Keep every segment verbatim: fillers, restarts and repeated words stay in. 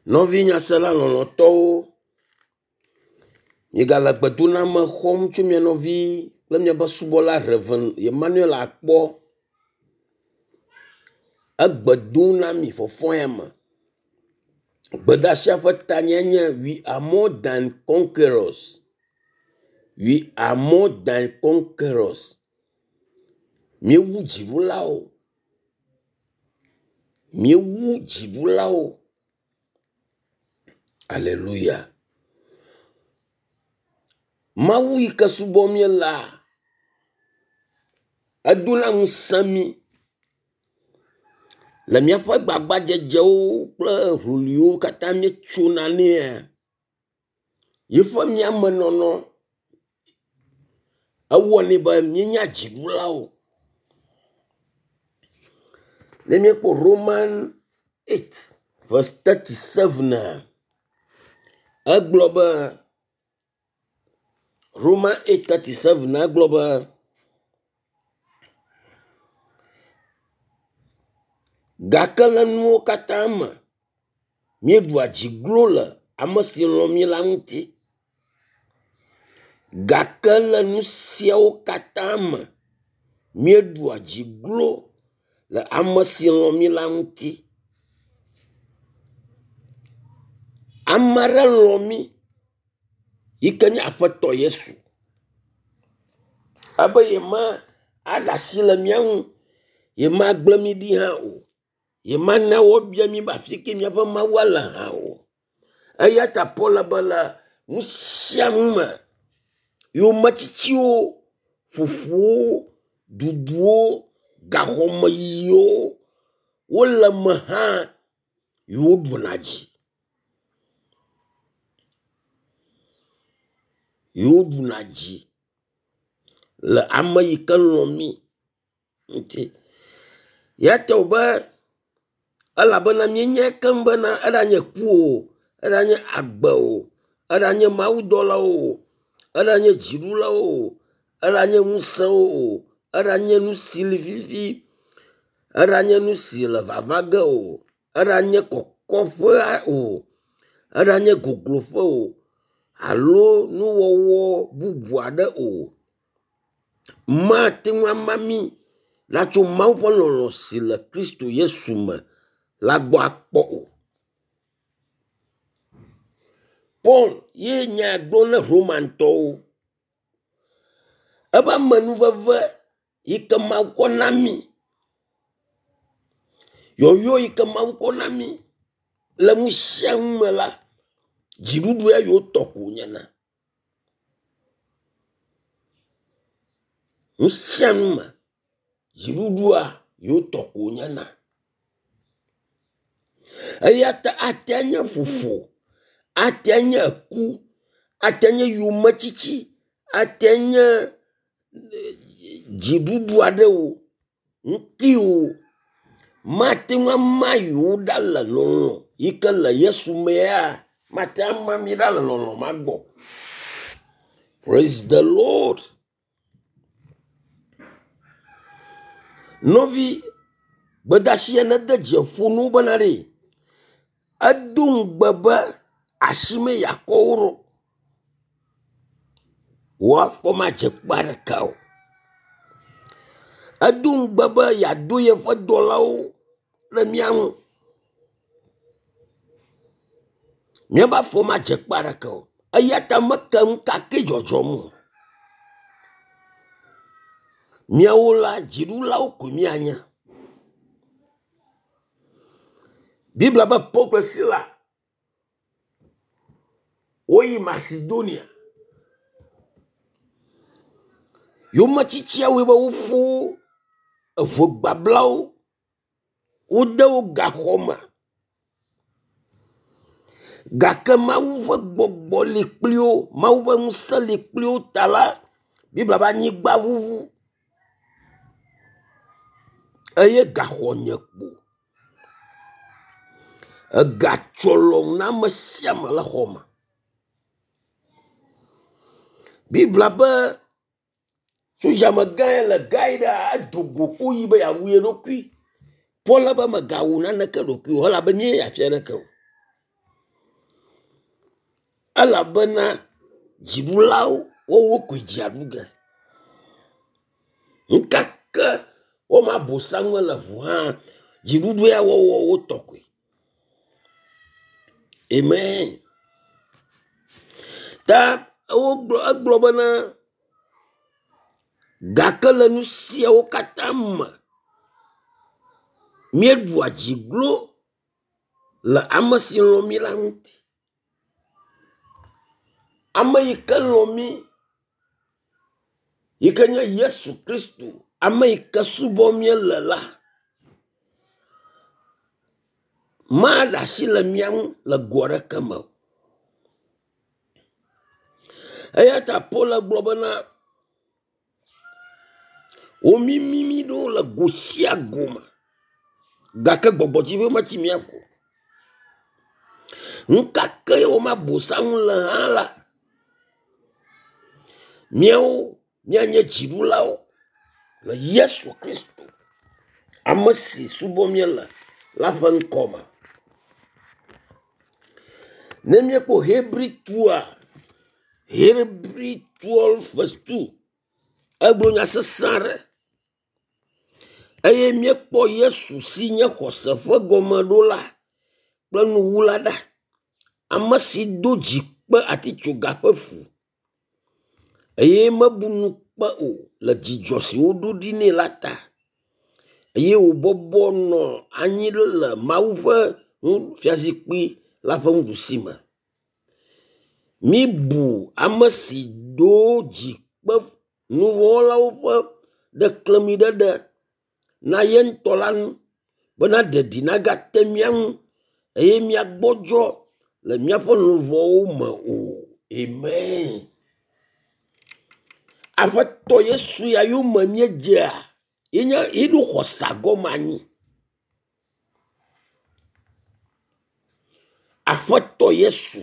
Nɔvi nyasela lɔlɔ̃tɔwo, miegale gbedoname xɔm tso mia nɔvi kple miaƒe subɔla Rev. Emmanuel Akpɔ. Egbe dom na mi fɔfɔ ya me. Gbedeasia ƒe tanya nye we are more than conquerors. We are more than conquerors. Míewu dziɖulawo. Míewu dziɖulawo. Aleluya. Mawu yi ke subɔm míelea, edona ŋusẽ mí le míaƒe gbagbadzedzewo kple ŋuliwo katã míetsona nɛa, yiƒe míamenɔnɔ ewɔnɛ be míenya dziɖulawo. Ne míekpɔ Roman eight verse thirty sevena, egblɔ be Roman eight thirty seven egblɔ be gake le nuwo katã me míeɖua dzi glo le ame si lɔ̃ mí la ŋuti. Gake le nu siawo katã me míeɖua dzi glo le ame si lɔ̃ mí la ŋuti. Ame aɖe lɔ̃ mí yi ke nye Aƒetɔ Yesu. Ebe yema aɖe asi le mía ŋu, yemagble mí ɖi hã o. Yemana woabia mí be afi ke míaƒe Mawua le hã o. Eya ta Paul be le nu sia nu me, yometsitsiwo, ƒoƒowo, duduwo, gaxɔmeyiyiwo wole eme hã yewoɖuna dzi. Yewoɖuna dzi le ame yi ke lɔ̃ mí ŋuti. Ya ta wòbe elabena míenyae keŋ bena eɖanye ku o, eɖanye agbe o, eɖanye mawudɔlawo o, eɖanye dziɖulawo o, eɖanye ŋusẽwo o, eɖanye nu si li fifi, eɖanye nu si le vava ge o, eɖanye kɔkɔƒea o, eɖanye gogloƒe o, alo nuwɔwɔ bubu aɖe o, mate ŋu ama mí la tso Mawu ƒe lɔlɔ̃ si le Kristo Yesu me la gbɔ akpɔ o. Paul ye nya gblɔ na Romantɔwo. Eƒe amenuveve yi ke Mawu kɔ na mí, yɔyɔ yi ke Mawu kɔ na mí le nu sia nu me la, dziɖuɖu ya yewo tɔ ko wònyena. Nu sia nu me, dziɖuɖua yewo tɔ ko wònyena. Eya ta ate nye ƒoƒo, ate nye ku, ate nye yometsitsi, ate nye dziɖuɖu aɖewo, ŋutiwo mate ŋu ama yewo ɖa le lɔlɔ̃ yi ke le Yesu mea, mate ŋu ama mi ɖa le lɔlɔ̃ ma gbɔ. Praise the Lord. Nɔvi, gbedeasia nede dzi ƒo na wo bena ɖe edo ŋugbe be asime yeakɔ wo ɖo. Wò afɔ madze kpe aɖeke o. Edo ŋugbe be yeado yeƒe dɔlawo ɖe mía ŋu. Míaƒe afɔ madze kpe aɖeke o. Eya ta meke nu ka ke dzɔdzɔm o. Míawo la, dziɖulawo ko míanye. Biblia be Paul kple Sila woyi Macedonia. Yometsitsiawoe be woƒo eʋe gbablawo, wode wo gaxɔ me. Gake Mawu ƒe gbɔgbɔ li kpli wo, Mawu ƒe ŋusẽ li kpli wo ta la, Biblia be anyigba ʋuʋu eye gaxɔ nye kpo. Ega tsɔlɔ na ame sia ame le xɔ me. Biblia be sodzamegã ya le gae ɖea edo go ko yi be yeawu ye ɖokui. Paul be megawu naneke ɖokui o elabe míeyi afi aɖeke o. Elabena dziɖulawo woawo koe dzia ɖu ge. Ŋkeke woma bosam le ŋu hã dziɖuɖu ya wɔwɔ wotɔ koe. Amen. Ta wogblɔ egblɔ bena gake le nu siawo katã me míeɖua dzi glo le ame si lɔ̃ mí la ŋuti. Ame yi ke lɔ̃ mí yi ke nye Yesu Kristo, ame yi ke subɔm míele la, maɖe asi le mía ŋu le go aɖeke me o. Eya ta Paul gblɔ bena womimi mí ɖo le go sia go me gake gbɔgbɔtsiƒe metsi mía ƒo. Nu ka ke woma bosam le hã la, míawo míanye dziɖulawo le Yesu Kristo, ame si subɔm míele la ƒe ŋkɔ me. Ne míekpɔ Hebri tua, Hebri twelve verse two, egblɔ nya sesẽ aɖe eye míekpɔ Yesu si nye xɔse ƒe gɔmeɖola kple nuwula ɖa, ame si do dzi kpe atitsoga ƒe fu eye mebu ŋukpe o le dzidzɔ si woɖo ɖi nɛ la ta eye wòbɔbɔ nɔ anyi le Mawu ƒe fiazikpui la ƒe nuɖusi me. Míbu ame si do dzi kpe nuvɔ̃wɔlawo ƒe ɖeklemiɖeɖe na ye ŋutɔ la ŋu bena ɖeɖi nagate mía ŋu eye míagbɔdzɔ le míaƒe luʋɔwo me o. Amen. Aƒetɔ Yesu ya yome míedzea, yenye yeɖo xɔse gɔme anyi. Aƒetɔ Yesu.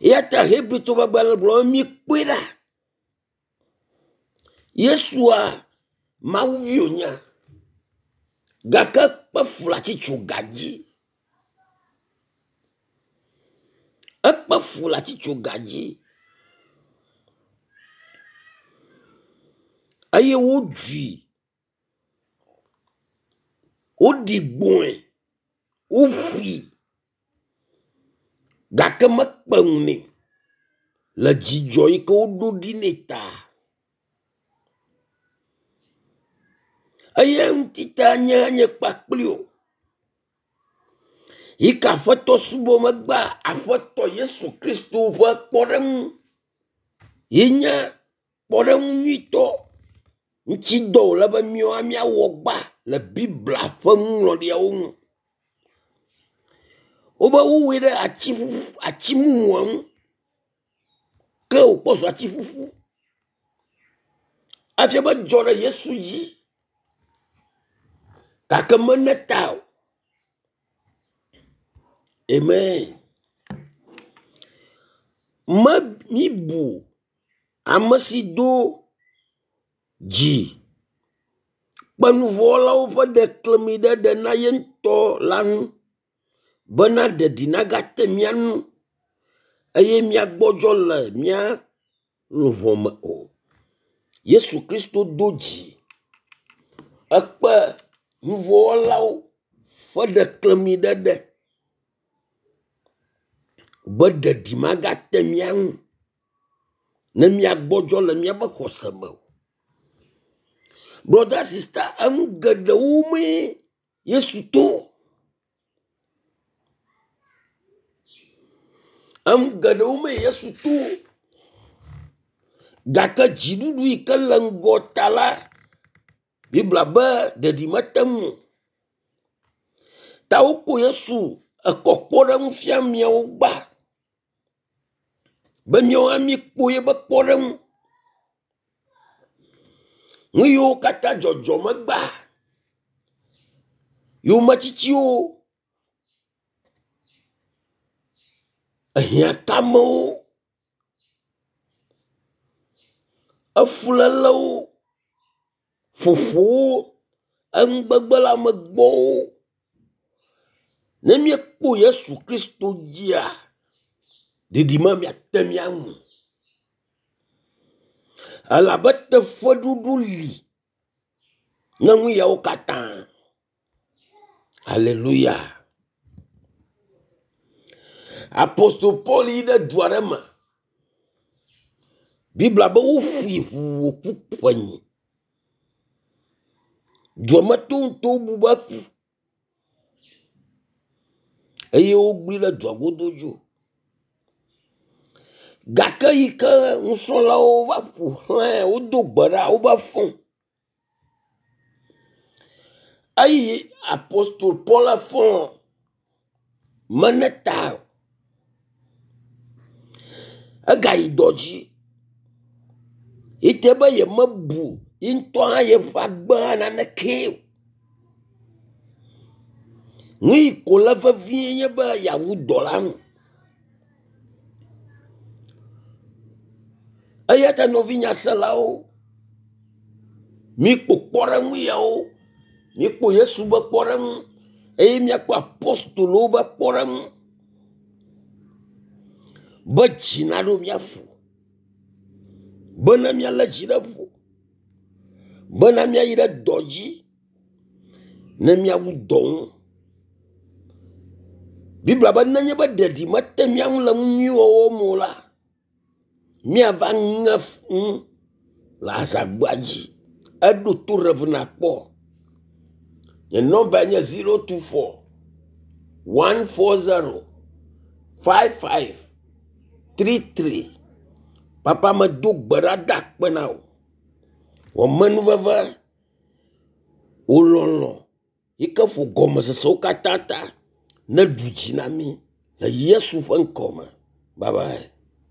Eya ta Hebritɔwo ƒe agbalẽ gblɔ be mikpɔe ɖa. Yesua Mawu vi wònye gake ekpe fu le atitsoga dzi. Ekpe fu le atitsoga dzi eye wodzui, woɖi gbɔe, woƒoe gake mekpe ŋu nɛ le dzidzɔ yi ke woɖo ɖi nɛ ta. Eya ŋuti ta nye nye kpakpli o. Yi ke Aƒetɔ subɔ megbea Aƒetɔ Yesu Kristo ƒe kpɔɖeŋu yi nye kpɔɖeŋu nyuitɔ ŋuti dɔ wòle be míawo míawɔ gbã le Biblia ƒe nuŋlɔɖiawo ŋu. Wobe wowɔe ɖe ati ƒuƒu ati mumua ŋu ke wòkpɔ zu ati ƒuƒu. Efia be edzɔ ɖe Yesu dzi gake mene ta o. Amen. Me míbu ame si do dzi kpe nuvɔ̃wɔlawo ƒe ɖeklemiɖeɖe na ye ŋutɔ la ŋu bena ɖeɖi nagate mía ŋu eye míagbɔdzɔ le mía luʋɔ me o. Yesu Kristo do dzi ekpe nuvɔ̃wɔlawo ƒe ɖeklemiɖeɖe be ɖeɖi magate mía ŋu ne míagbɔdzɔ le míaƒe xɔse me o. Brother sister, enu geɖewo mee Yesu to. Enu geɖewo mee Yesu to. Gake dziɖuɖu yi ke le ŋgɔ ta la, Biblia be ɖeɖi mete ŋu o. Ta woko Yesu ekɔ kpɔɖeŋu fia miawo gbã be míawo hã míekpɔ yeƒe kpɔɖeŋu. Nu yiwo katã dzɔdzɔ megbea, yometsitsiwo, ehiãkamewo, efulélewo, ƒoƒowo, enugbegbe le amegbɔwo. Ne míekpɔ Yesu Kristo dzia, Ɖiɖi me miate mía ŋu. Elabe teƒeɖuɖu li ne nu yawo katã. Aleluya. Apostol Paul yi ɖe du aɖe me. Biblia be woƒoe ʋuu wòku ƒenyi. Dua me tɔwo ŋutɔ bu be eku eye wogblẽ ɖe dua godo dzo. Gake yi ke nusrɔ̃lawo va ƒo xlãe wodo gbe ɖa wobe fɔ. Eyi apostol Paul fɔ mene ta o. Egayi dɔ dzi. Ete be yemebu ye ŋutɔ hã yeƒe agbe hã nanekee o. Nu yi ko le vevie nye be yeawu dɔ la nu. Eya ta nɔvi nyaselawo, míkpɔ kpɔɖeŋu yawo, míkpɔ Yesu be kpɔɖeŋu eye míakpɔ apostolowo be kpɔɖeŋu be dzi naɖo mía ƒo, bena míalé dzi ɖe ƒo, bena míayi ɖe dɔ dzi ne míawu dɔ ŋu. Biblia be nenye be ɖeɖi mete mía ŋu le nu nyui wɔwɔ me o la, míava ŋe nu le azagbea dzi. Eɖo to Rev. Akpɔ. Nye nɔmba nye zero two four one four zero five five three three. Papa medo gbe ɖa da akpe na wò. Wò amenuveve, wò lɔlɔ̃ yi ke ƒo gɔmesesewo katã ta neɖu dzi na mí le Yesu ƒe ŋkɔ me. Bye bye.